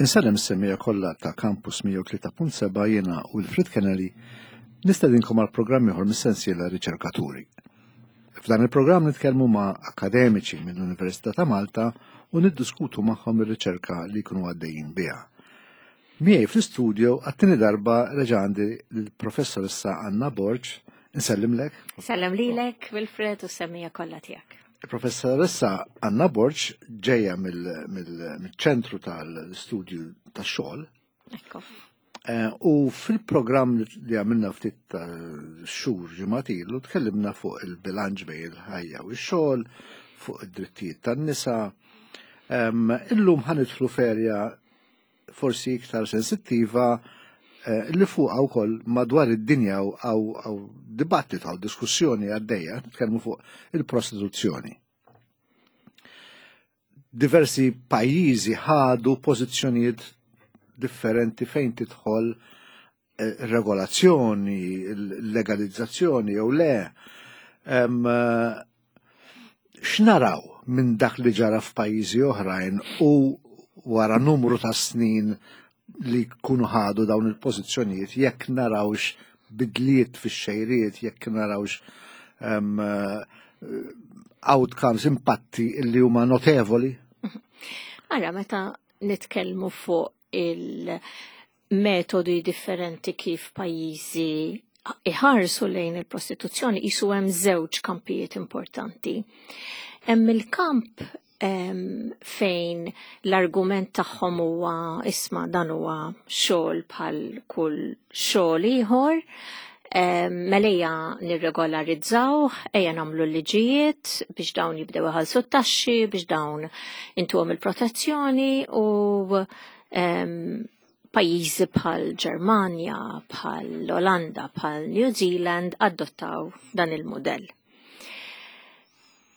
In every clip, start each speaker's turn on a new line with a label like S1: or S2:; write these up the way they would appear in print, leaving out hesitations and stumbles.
S1: Insellem is-semmiegħa kollha ta' Campus 103.7 jiena Wilfred Kennelly nistedinkom għal programm ieħor mis-sensiela Riċerkaturi. F'dan il-programm nitkellmu ma' akademiċi mill-Università ta' Malta u niddiskutu magħhom ir-riċerka li jkunu għaddejjin biha. Miegħi fl-istudio għat-tieni darba reġa' għandi l-professoressa Anna Borg. Insellimlek.
S2: Sellem lilek, Wilfred, u s-semmija kollha tiegħek.
S1: Il-professoressa Anna Borg ġejja mill-ċentru tal-studju tax-xogħol.
S2: Ekku.
S1: Eh, u fil-programm li għamilna ftit ta' xhur ġimgħat ilu tkellimna fuq il-bilanċ bejn il-ħajja u x-xogħol, fuq id-drittijiet tan-nisa. Illum ħanidħlu ferja forsi iktar sensittiva eh, li fuqha wkoll madwar id-dinja għaw dibattitu għaw diskussjoni għaddejja, nitkellmu fuq il-prostituzzjoni. Diversi pajjiżi ħadu pożizzjonijiet differenti fejn tidħol eh, regolazzjoni, legalizzazzjoni jew le. Eh, x'naraw minn dak li ġara f'pajjiżi oħrajn u wara numru ta' snin li jkunu ħadu dawn il-pożizzjonijiet jekk narawx bidliet fix-xejriet, jekk narawx um, outcomes, impatti li huma notevoli?
S2: Ara, meta nitkellmu fuq il- metodi differenti kif pajjiżi iħarsu lejn il-prostituzzjoni jisu hemm żewġ kampijiet importanti. Hemm il-kamp fejn l-argument tagħhom huwa isma' dan huwa xogħol bħal kull xogħol ieħor, mela ejja nirregolarizzaw, ejja nagħmlu l-liġijiet biex dawn jibdew iħallsu t-taxxi, biex dawn intuhom il-protezzjoni u pajjiżi bħal Ġermanja, bħal Olanda, bħal New Zealand adottaw dan il-mudell.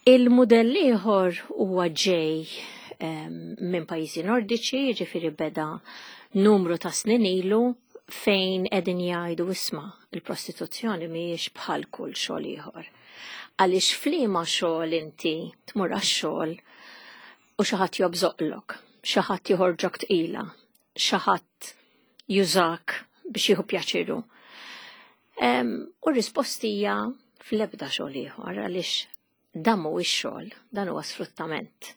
S2: Il-mudell ieħor huwa ġej minn pajjiżi nordiċi, jiġifieri beda numru ta' snin ilu fejn qegħdin jgħidu isma' il-prostituzzjoni mhijiex bħal kull xogħol ieħor. Għaliex f'liema xogħol inti tmur għax-xogħol u xi ħadd jobżoqlok, xi ħadd joħorġok tqila, xi ħadd jużak biex jieħu pjaċiru. U r-risposti hija fl-ebda xogħol ieħor għaliex dan mhuwiex xogħol, dan huwa sfruttament.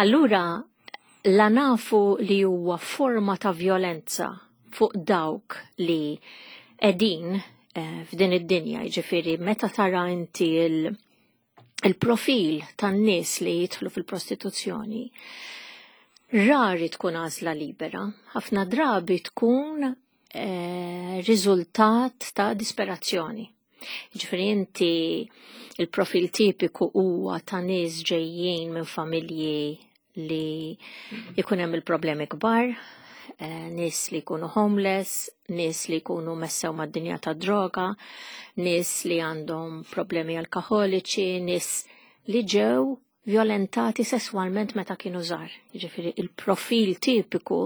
S2: Allura la nafu li huwa forma ta' violenza fuq dawk li qegħdin eh, f'din id-dinja, jiġifieri meta tara inti il- il-profil tan-nies li jidħlu fil-prostituzzjoni rari tkun għażla libera, ħafna drabi tkun eh, riżultat ta' disperazzjoni. Ġifieri inti il-profil tipiku huwa ta' nies ġejjin minn familji li jkun hemm il-problemi kbar, eh, nies li jkunu homeless, nies li jkunu messew mad-dinja ta' droga, nies li għandhom problemi alkoholiċi, nies li ġew violentati sesswalment meta kienu żgħar. Jiġifieri il-profil tipiku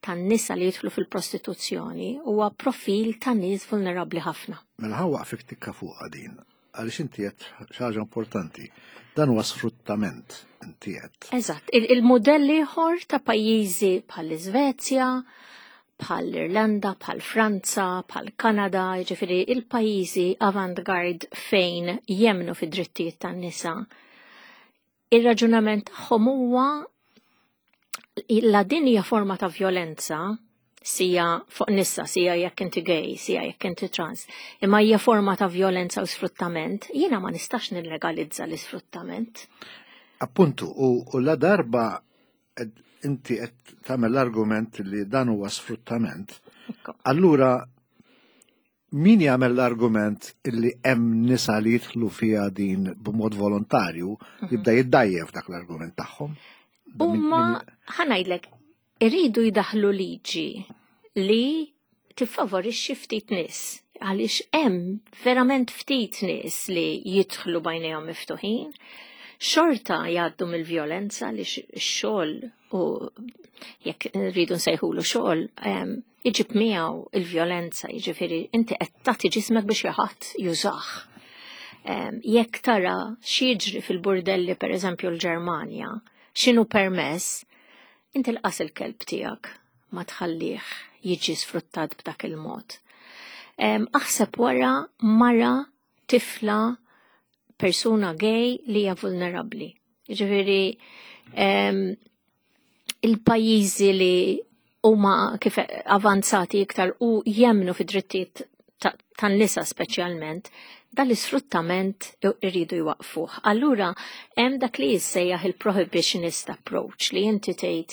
S2: tan-nisa li jidħlu fil-prostituzzjoni huwa profil ta' nies vulnerabbli ħafna.
S1: Mela ħa waqfik tikka fuq din għaliex inti qed xi ħaġa importanti. Dan huwa sfruttament inti qed.
S2: Eżatt, il-mudell ieħor ta' pajjiżi bħall-Iżvezja, bħall-Irlanda, bħal Franza, bħal Kanada, jiġifieri il-pajjiżi avant-garde fejn jemnu fid-drittijiet tan-nisa. Ir-raġunament tagħhom huwa la din hija forma ta' violenza, sija fuq nissa, sija jekk inti gay, sija jekk inti trans, imma hija forma ta' violenza u sfruttament, jiena ma nistax nillegalizza l-isfruttament.
S1: Appuntu, u, u la darba inti qed tagħmel l-argument li dan huwa sfruttament, allura Min jagħmel l-argument illi hemm nisa li jidħlu fiha din b'mod volontarju, mhm. jibda jiddajjef dak l-argument tagħhom.
S2: Huma ħanajdlek iridu jdaħlu liġi li tiffavorixxi ftit nies għaliex hemm verament ftit nies li jidħlu bajnejhom miftuħin, xorta jgħaddu mill-vjolenza li x-xogħol u jekk rridu nsejħulu xogħol iġib miegħu il-vjolenza, jiġifieri inti qed tagħti ġismek biex xi ħadd jużah. Jekk tara x'jiġri fil-burdelli pereżempju l-Ġermanja, x'inhu permess, inti lqas il-kelb tiegħek. ma tħallih jiġi sfruttat b'dak il-mod. Aħseb wara mara tifla persuna gay li hija vulnerabbli. Ġifieri il-pajjiżi li huma kif avanzati iktar u jemnu fid-drittijiet tan-nisa speċjalment, dal-isfruttament irridu jwaqfuh. Allura hemm dak li jissejjaħ il-prohibitionist approach li inti tgħid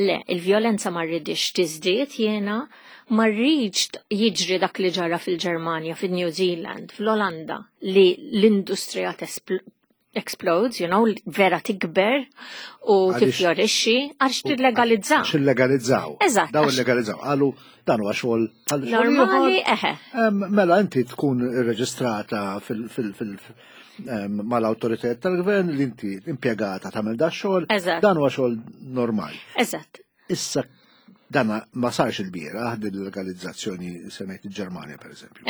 S2: le, il-vjolenza ma rridix tiżdied jiena, ma rridx jiġri dak li ġara fil-Ġermanja, fil-New Zealand, fl-Olanda, li l-industrija explodes, vera tikber u tifjorixxi għax tillegalizzaw.
S1: Għax illegalizzaw.
S2: Eżatt.
S1: Daw illegalizzaw. Qalu dan huwa xogħol
S2: bħal xogħol Normali, eħe.
S1: Mela inti tkun irreġistrata mal-awtoritajiet tal-gvern li inti impjegata tagħmel da xogħol. Dan huwa xogħol normali.
S2: Eżatt.
S1: Issa dana ma sarx il-bieraħ din l-legalizzazzjoni semmejt il-Ġermanja per eżempju.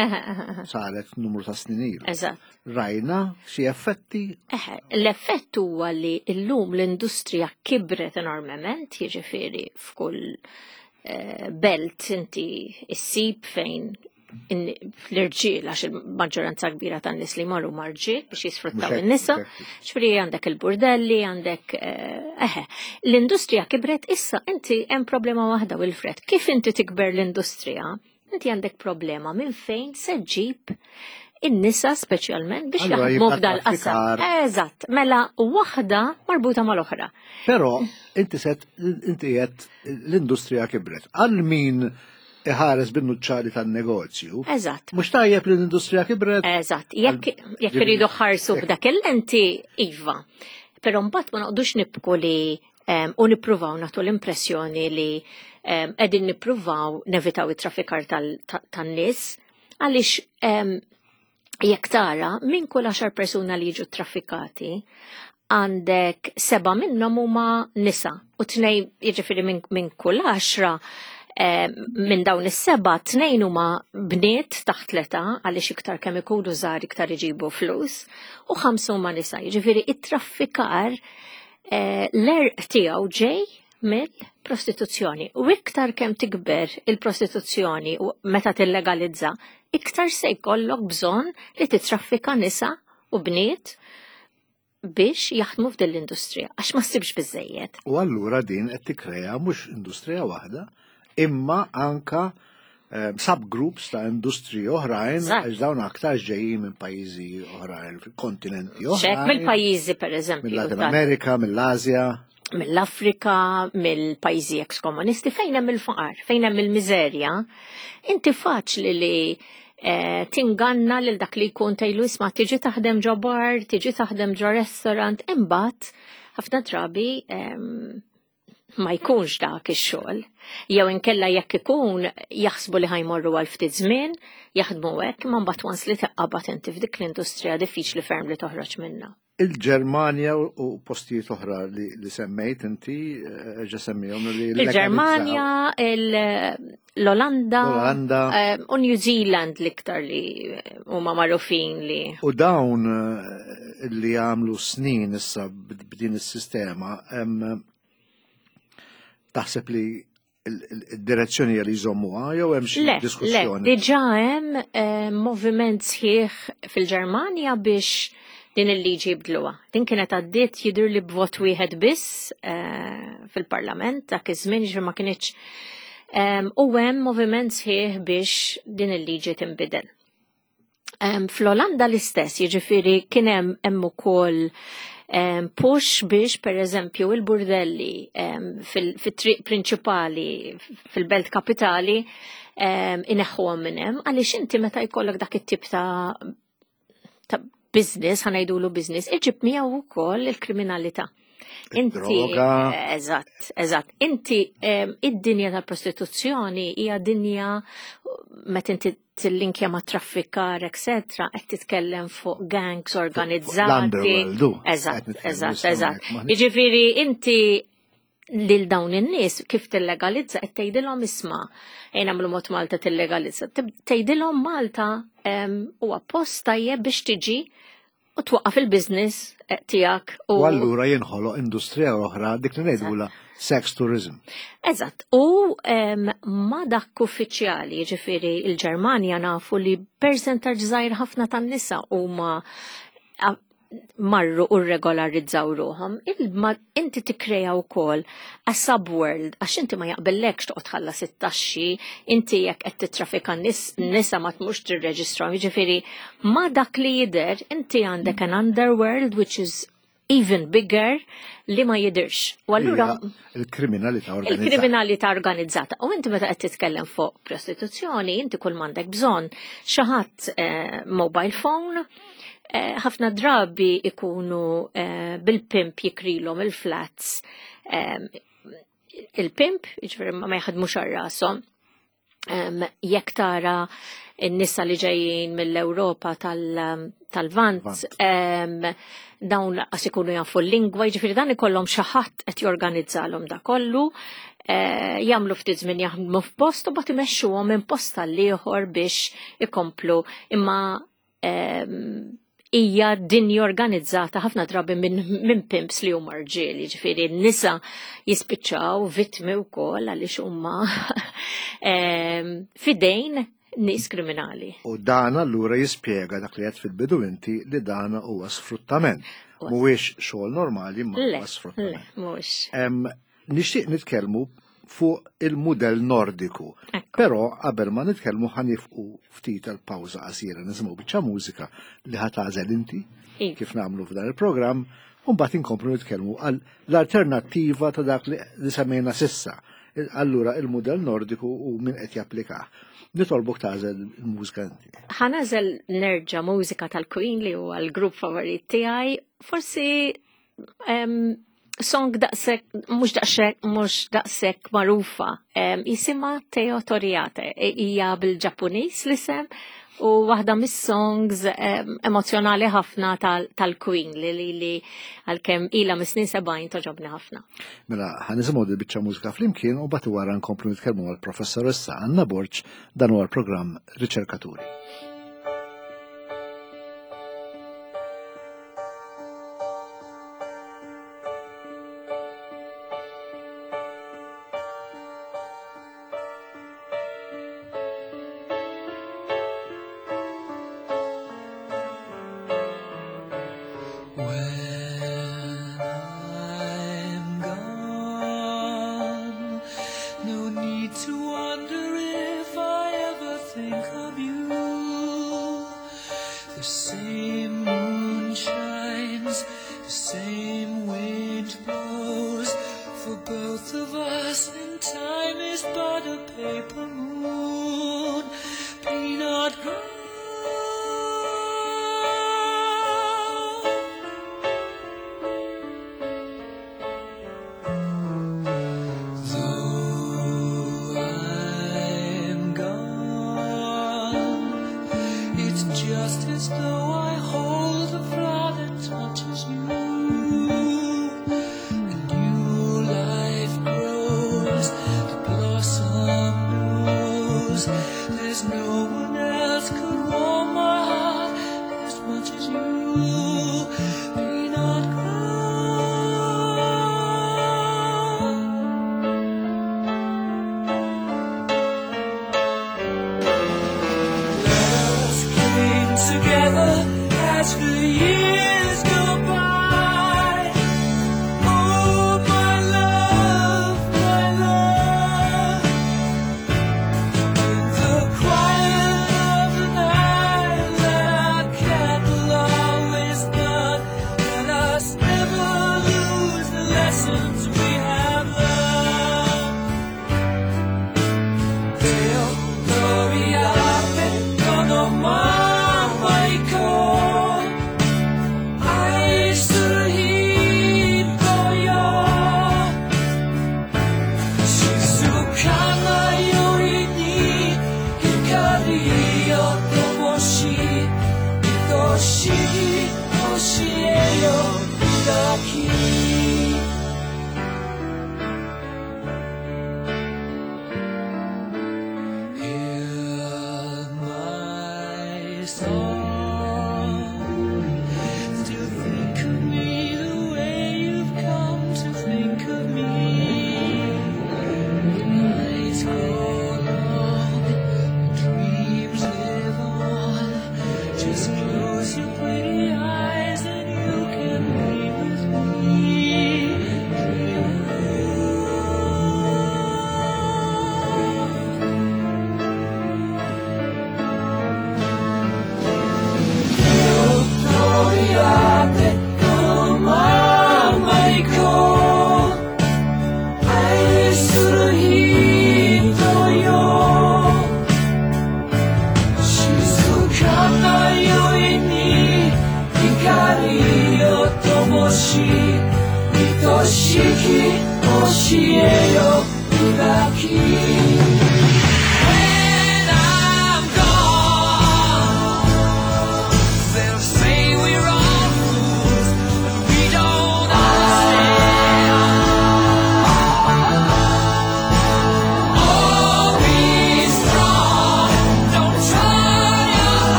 S1: Saret numru ta' snin ilu.
S2: Eżatt.
S1: Rajna xi effetti?
S2: Eħe, l-effett huwa li llum l-industrija kibret enormement, jiġifieri f'kull belt inti issib fejn l-irġiel, għax il-maġġoranza kbira tan-nies li marru marġiel biex jisfruttaw in-nisa, ġifieri għandek il-burdelli, għandek eħe. L-industrija kibret issa inti hemm problema waħda Wilfred. Kif inti tikber l-industrija, inti għandek problema minn fejn se ġġib in-nisa speċjalment biex
S1: Allura
S2: jaħdmu
S1: jibqa'
S2: f'dal qasam.
S1: traffikar.
S2: Eżatt, mela waħda marbuta mal-oħra.
S1: Però inti set inti qed l-industrija kibret. Għal min iħares bin-nuċċali tan-negozju.
S2: Eżatt.
S1: Mhux tajjeb li l-industrija kibret?
S2: Eżatt, jekk iridu ħarsu b'dak il-lenti, iva. Però mbagħad ma noqgħodux nibku li u nippruvaw nagħtu l-impressjoni li qegħdin nippruvaw nevitaw it-traffikar tan-nies, għaliex jekk tara minn kull 10 persuna li jiġu traffikati, għandek 7 minnhom huma nisa u 2, jiġifieri minn kull 10 minn dawn is-7, 2 huma bniet taħt l-età, għaliex iktar kemm ikunu żgħar iktar iġibu flus, u 5 huma nisa. Jiġifieri it-traffikar l-erq tiegħu ġej mill-prostituzzjoni. U iktar kemm tikber il-prostituzzjoni u meta tillegalizza, iktar se jkollok bżonn li titraffika nisa u bniet biex jaħdmu f'din l-industrija, għax ma ssibx biżejjed.
S1: U allura din qed tikkrea mhux industrija waħda, imma anka subgroups ta' industriji oħrajn, għax dawn aktar ġejjin minn pajjiżi oħrajn, kontinenti
S2: Ċek,
S1: oħrajn.
S2: mill-pajjiżi per eżempju,
S1: Mill-Latin
S2: ta'
S1: Amerika, mill-Asja.
S2: Mill-Afrika, mill-pajjiżi ex-komunisti, fejn hemm il-faqar, fejn hemm il-miżerja, inti faċli li tinganna lil dak li jkun tgħidlu isma' tiġi taħdem ġo bar, tiġi taħdem ġo restaurant, imbagħad ħafna drabi ma jkunx dak ix-xogħol. Jew inkella jekk ikun jaħsbu li ħajmorru għal ftit żmien, jaħdmu hekk, imma mbagħad once li taqbad inti f'dik l-industrija diffiċli ferm li toħroġ minnha.
S1: Il-Ġermanja u postijiet oħra li semmejt inti ġa semmihom li
S2: Il-Ġermanja, l-Olanda,
S1: L-Olanda.
S2: u New Zealand l-iktar li huma magħrufin li.
S1: U dawn li għamlu snin issa b'din is-sistema, taħseb li il-direzzjoni li jżommuha jew hemm xi
S2: Le, le,
S1: diskussjoni?
S2: diġà hemm moviment sħiħ fil-Ġermanja biex din il-liġi jibdluha. Din kienet għaddiet jidher li b'vot wieħed biss fil-Parlament dak iż-żmien, ġifieri ma kinitx. U hemm moviment sħiħ biex din il-liġi tinbidel. Fl-Olanda l-istess, jiġifieri kien hemm ukoll push biex per eżempju il-burdelli fit-triq prinċipali fil-belt kapitali ineħħuhom minn hemm, għaliex inti meta jkollok dak it-tip ta' business, ħanajdulu business, iġib miegħu wkoll il-kriminalità. Inti,
S1: Droga.
S2: eżatt, eżatt. Inti id-dinja tal-prostituzzjoni hija dinja meta inti tillinkja ma' traffikar, eccetera, qed titkellem fuq gangs
S1: Fuq
S2: organizzati.
S1: l-underworld, u,
S2: Eżatt,
S1: qed nitkellmu
S2: eżatt,
S1: issa
S2: eżatt.
S1: hawnhekk, ma'
S2: Jiġifieri inti lil dawn in-nies kif tillegalizza qed tgħidilhom isma' ejn nagħmlu mod Malta tillegalizza. Tgħidilhom Malta huwa post tajjeb biex tiġi U twaqqaf il-business tiegħek.
S1: U allura jinħoloq industrija oħra dik li ngħidula sex tourism.
S2: Eżatt, u ma dak uffiċjali, ġifieri il-Ġermanja nafu li percentaġġ żgħir ħafna tan-nisa huma marru u regolarizzaw ruħhom, inti tikkrea wkoll a subworld għax inti ma jaqbellekx toqgħod tħallas it-taxxi, inti jekk qed titrafika nisa ma tmux tirreġistrahom, jiġifieri ma dak li jidher inti għandek an underworld which is even bigger li ma jidirx.
S1: U allura il-kriminalità organizzata.
S2: Il-kriminalità organizzata. U inti meta qed titkellem fuq prostituzzjoni, inti kull m'għandek bżonn xi ħadd mobile phone, ħafna drabi ikunu bil-pimp jikrilhom il-flats. Il-pimp, jiġifieri ma jaħdmux għal rashom. Jekk tara n-nisa li ġejjin mill-Ewropa tal-Vant, dawn laqas ikunu jafu l-lingwa, jiġifieri dan ikollhom xi ħadd qed jorganizzalhom da kollu, jagħmlu ftit żmien jaħdmu f'post u bagħad imexxuhom minn post tal-ieħor biex ikomplu, imma hija dinja organizzata ħafna drabi minn pimps li huma rġiel, jiġifieri n-nisa jispiċċaw vittmi wkoll għaliex huma fidejn nies kriminali.
S1: U dan allura jispjega dak li qed fil-bidu inti li dan huwa sfruttament. Mhuwiex xogħol normali, imma huwa sfruttament.
S2: Le, mhuwiex.
S1: Nixtieq nitkellmu fuq il-mudell nordiku. Però qabel ma nitkellmu ħanifqu ftit għal pawża qasira nisimgħu biċċa mużika li ħa tagħżel inti kif nagħmlu f'dan il-programm, u mbagħad inkomplu nitkellmu għal l-alternattiva ta' dak li semmejna sissa. Allura il-mudell nordiku u min qed japplikah. Nitolbok tagħżel il-mużika inti.
S2: Ħa nagħżel nerġa' mużika tal-Queen li huwa l-grupp favorit tiegħi. Forsi song daqshekk, mhux daqshekk, mhux daqshekk magħrufa. Jisimha Teo Torriatte, hija bil-Ġappuniż l-isem u waħda mis-songs emozjonali ħafna tal-Queen li għalkemm ilha mis-snin 70 toġobni ħafna.
S1: Mela, ħa nisimgħu di biċċa mużika flimkien u mbagħad wara nkomplu nitkellmu mal-professoressa Anna Borg, dan huwa l-programm Riċerkaturi.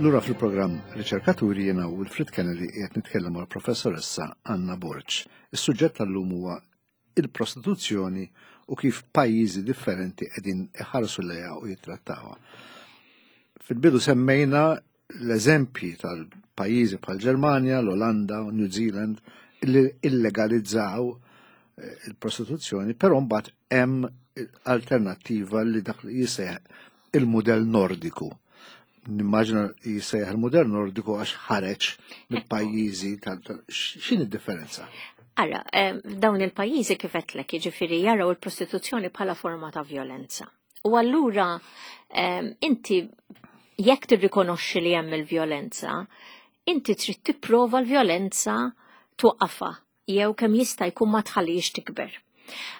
S1: Lura fil-programm Riċerkaturi jiena Wilfred Kennedy qiegħed nitkellem mal-professoressa Anna Borg. Is-suġġett tal-lum huwa il-prostituzzjoni u kif pajjiżi differenti qegħdin iħarsu lejha u jittrattawha. Fil-bidu semmejna l-eżempji tal-pajjiżi bħal Ġermanja, l-Olanda, New Zealand li illegalizzaw eh, il-prostituzzjoni, però mbagħad hemm alternattiva li dak li jisejħ il-mudell nordiku. Nimmaġina jisejħ il-mudell nordiku għax ħareġ mill-pajjiżi tal x'in id-differenza?
S2: Ara, eh, dawn il-pajjiżi kif għedtlek, jiġifieri jaraw il-prostituzzjoni bħala forma ta' violenza. U allura eh, inti jekk tirrikonoxxi li hemm il-vjolenza, inti trid tipprova l-vjolenza twaqqafha jew kemm jista' jkun ma tħallix tikber.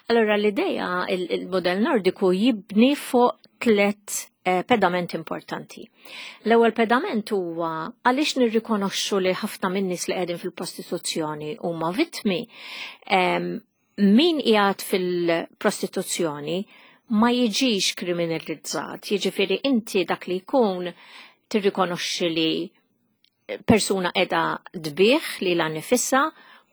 S2: Allora l-idea il-modell nordiku jibni fuq tlet eh, pedament importanti. L-ewwel pedament huwa għaliex nirrikonoxxu li ħafna min-nies li qegħdin fil-prostituzzjoni huma vittmi min qiegħed fil-prostituzzjoni ma jiġix kriminalizzat, jiġifieri inti dak li jkun tirrikonoxxi li persuna qiegħda tbigħ lilha nifisha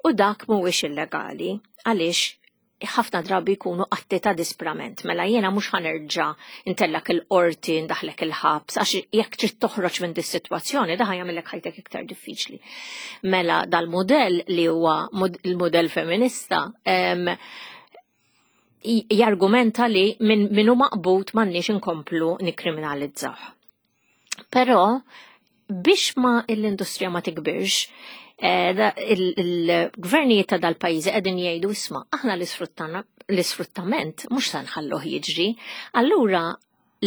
S2: u dak mhuwiex illegali għaliex ħafna drabi jkunu atti ta' disprament. Mela jiena mhux ħa nerġa' ntellgħek il-qorti, ndaħlek il-ħabs, għax jekk trid toħroġ minn dis-sitwazzjoni daħ jagħmellek ħajtek iktar diffiċli. Mela dal-modell li huwa il-modell feminista jargumenta li minn min hu maqbud m'għandniex inkomplu nikkriminalizzaw. Però biex ma l-industrija ma tikbirx, eh, il-gvernijiet ta' dal-pajjiżi qegħdin jgħidu isma' aħna l-isfruttament mhux se nħalluh jiġri. Allura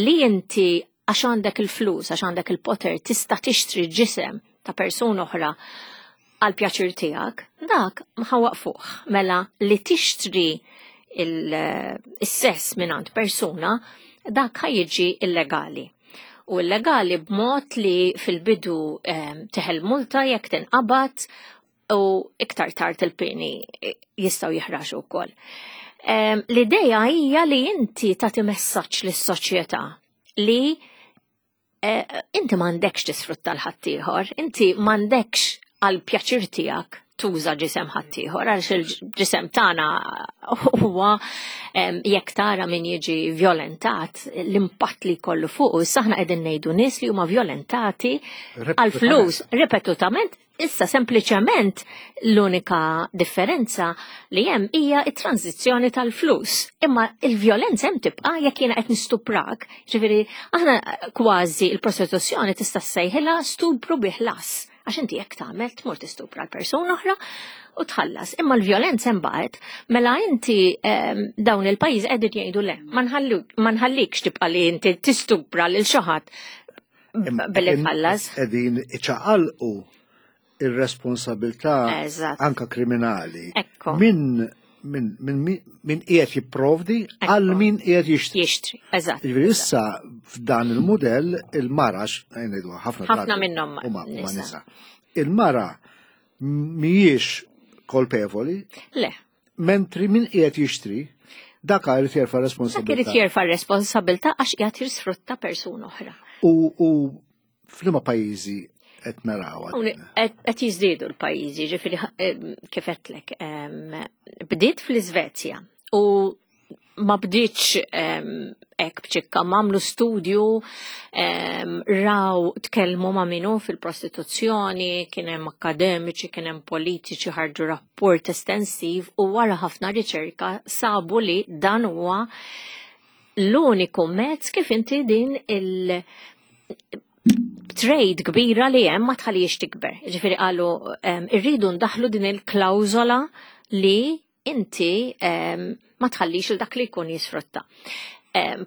S2: li inti għax għandek il-flus, għax għandek il-poter, tista' tixtri ġisem ta' persuna oħra għal pjaċir tiegħek, dak ħa nwaqqfuh. Mela li tixtri il-sess minn persuna, dak ħa jiġi illegali. U illegali b'mod li fil-bidu ehm, teħel multa jekk tinqabad u iktar tard il-pieni jistgħu jiħraxu wkoll. Ehm, l-ideja hija li inti tagħti messaġġ lis-soċjetà li eh, inti m'għandekx tisfrutta l-ħaddieħor, inti m'għandekx għal pjaċir tiegħek tuża ġisem ħaddieħor għaliex il-ġisem tagħna huwa jekk tara min jiġi violentat l-impatt li jkollu fuq issa aħna qegħdin ngħidu nies li huma violentati għal flus ripetutament Issa sempliċement l-unika differenza li hemm hija t-tranzizzjoni tal-flus. Imma il-vjolenza hemm tibqa' jekk jiena qed nistuprak. Ġifieri aħna kważi il-prostituzzjoni tista' ssejħilha stupru bi ħlas. Għax inti jekk tagħmel tmur tistupra l-persuna oħra u tħallas. Imma l-vjolenza hemm baqgħet, mela inti ehm, dawn il-pajjiż qegħdin jgħidu le, ma nħallikx tibqa' li inti tistupra lil xi ħadd billi tħallas.
S1: Qegħdin iċaqalqu ir-responsabilità anka kriminali minn min, min, min qiegħed jipprovdi għal min qiegħed jixtri.
S2: Jixtri, eżatt.
S1: Jiġifieri issa f'dan il-mudell il-mara ngħidu ħafna
S2: ħafna minnhom huma
S1: nisa. Il-mara mhijiex kolpevoli.
S2: Le.
S1: Mentri min qiegħed jixtri dak irid jerfa' responsabilità.
S2: Dak irid jerfa' responsabilità għax qiegħed jisfrutta persuna oħra.
S1: U, u f'liema pajjiżi qed narawha?
S2: Qed jiżdiedu l-pajjiżi, ġifieri eh, kif qedlek, bdiet fl-Iżvezja u ma bdietx hekk b'ċikka, m'għamlu studju, raw tkellmu ma' minu fil-prostituzzjoni, kien hemm akademiċi, kien hemm politiċi ħarġu rapport estensiv u wara ħafna riċerka sabu li dan huwa l-uniku mezz kif inti din il- trade kbira li hemm ma tħallix tikber. Ġifieri qalu irridu ndaħlu din il-klawżola li inti ma tħallix il dak li jkun jisfrutta.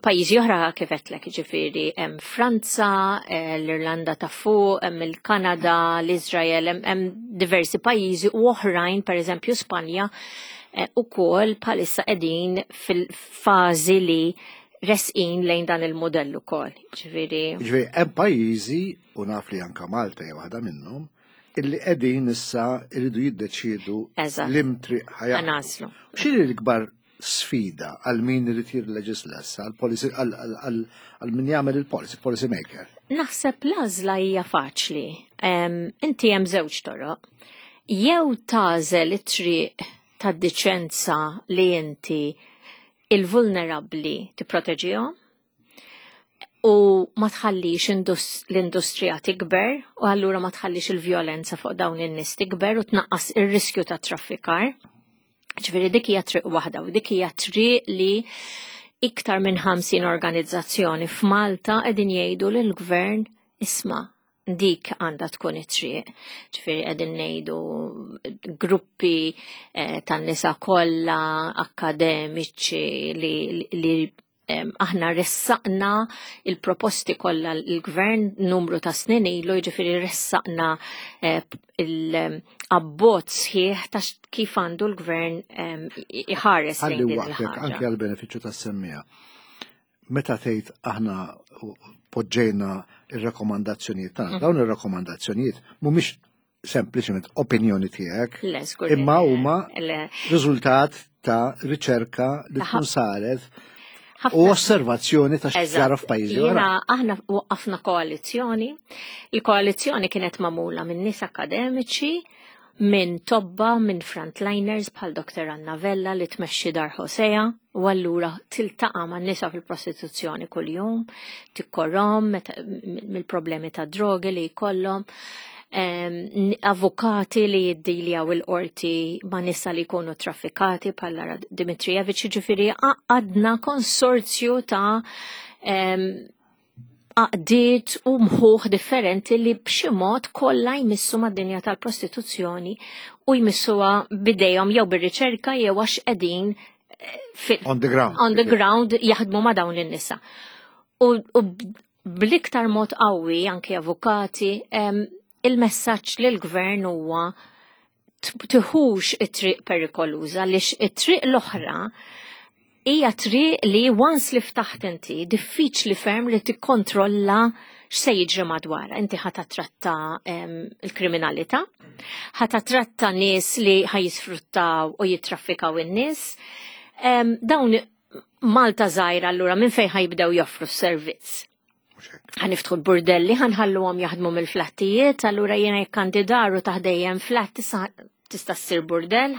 S2: Pajjiżi oħra kif għedtlek, ġifieri hemm Franza, eh, l-Irlanda ta' fuq, hemm il-Kanada, l-Iżrael, hemm diversi pajjiżi u oħrajn, pereżempju Spanja, eh, ukoll bħalissa qegħdin fil-fażi li resqin lejn dan il-modell ukoll. Ġifieri.
S1: Ġifieri hemm pajjiżi u naf li anka Malta hija waħda minnhom illi qegħdin issa jridu jiddeċiedu l-imtriq ħajja.
S2: Naslu.
S1: X'inhi l-ikbar sfida għal min irid jirleġisla issa, għal policy għal min jagħmel il-policy, policy maker.
S2: Naħseb l-għażla hija faċli. Inti hemm żewġ toroq. Jew tagħżel it-triq tad-diċenza li inti il-vulnerabbli tipproteġihom u ma tħallix l-industrija tikber u allura ma tħallix il-vjolenza fuq dawn in-nies tikber u tnaqqas ir-riskju ta' traffikar. Ġifieri dik hija triq waħda u dik hija triq li iktar minn 50 organizzazzjoni f'Malta qegħdin jgħidu lill-gvern isma' dik għandha tkun it-triq. Ġifieri qegħdin ngħidu gruppi eh, tan-nisa kollha akademiċi li, li aħna ressaqna il-proposti kollha l-gvern numru ta' snin ilu, jiġifieri ressaqna eh, il-abbozz sħiħ ta' kif għandu l-gvern iħares
S1: lejn din il-ħaġa. Anke għall-benefiċċju tas-semmija. Meta tgħid aħna poġġejna ir-rakkomandazzjonijiet tagħna, mhm. dawn ir-rakkomandazzjonijiet mhumiex sempliċement opinjoni tiegħek, imma huma riżultat ta' riċerka li tkun saret u osservazzjoni ta' x'ġara f'pajjiżi oħra.
S2: Aħna waqqafna koalizzjoni. Il-koalizzjoni kienet magħmula minn nies akademiċi, minn tobba, minn frontliners bħal Dr. Anna Vella li tmexxi Dar Hosea u allura tiltaqa' man nisa fil-prostituzzjoni kuljum, tikkorrom mill-problemi ta' drogi li jkollhom, avukati li jiddiljaw il-qorti ma' nisa li jkunu traffikati bħal Lara Dimitrijevic, ġifieri għadna konsorzju ta' għaqdiet u mħuħ differenti li b'xi mod kollha jmissu mad-dinja tal-prostituzzjoni u jmissuha bidejhom jew bir-riċerka jew għax qegħdin
S1: eh, on the ground.
S2: On the ground jaħdmu ma' dawn in-nisa. U, u bl-iktar mod qawwi anke avukati il-messaġġ lill-gvern huwa tiħux it-triq perikoluża għaliex it-triq l-oħra hija triq li once li ftaħt inti diffiċli ferm li tikkontrolla x'se jiġri madwar. Inti ħa tratta il-kriminalità, ħa tratta nies li ħa jisfruttaw u jittraffikaw in-nies. Dawn Malta żgħira allura minn fejn ħajbdew joffru s-servizz. Ħaniftħu l-burdelli, ħanħalluhom jaħdmu mill-flattijiet, allura jiena jekk għandi dar u taħdejjem flat tista' ssir burdell,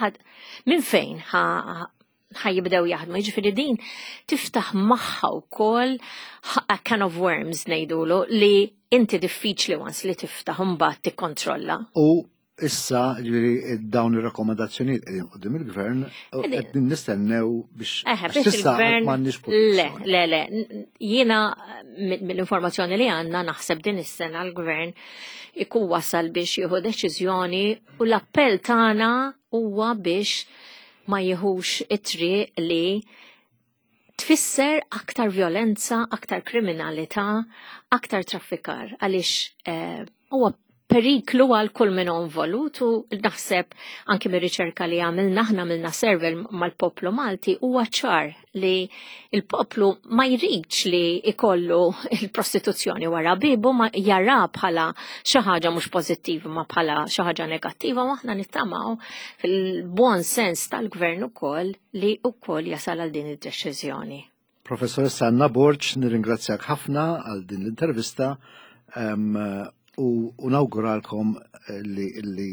S2: minn fejn ħajibdew jaħdmu. Jiġifieri din tiftaħ magħha wkoll a can of worms ngħidulu li inti diffiċli once li tiftaħ imbagħad tikkontrolla.
S1: U Issa, ġifieri dawn ir-rakkomandazzjonijiet qegħdin qudiem il-gvern u qegħdin nistennew biex
S2: Eħe, biex il-gvern
S1: m'għandniex
S2: Le, le, le. Jiena mill-informazzjoni li għandna naħseb din is-sena l-gvern ikun wasal biex jieħu deċiżjoni u l-appell tagħna huwa biex ma jieħux it-triq li tfisser aktar violenza, aktar kriminalità, aktar traffikar għaliex eh, huwa periklu għal kull min involut u naħseb anki mir-riċerka li għamilna aħna għamilna survey mal-poplu Malti huwa ċar li il-poplu ma jridx li ikollu il-prostituzzjoni wara bibu ma jara bħala xi ħaġa mhux pożittiva ma bħala xi ħaġa negattiva u aħna nittamaw fil-buon sens tal-gvern ukoll li wkoll jasal għal din id-deċiżjoni.
S1: Professoressa Anna Borg, nirringrazzjak ħafna għal din l-intervista u nawguralkom li, li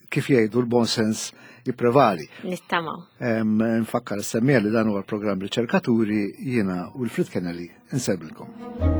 S1: kif jgħidu l-bon sens jipprevali.
S2: Nittama.
S1: Nfakkar s-semmija li dan huwa l-programm Riċerkaturi jiena Wilfrid Kennelly insellmilkom.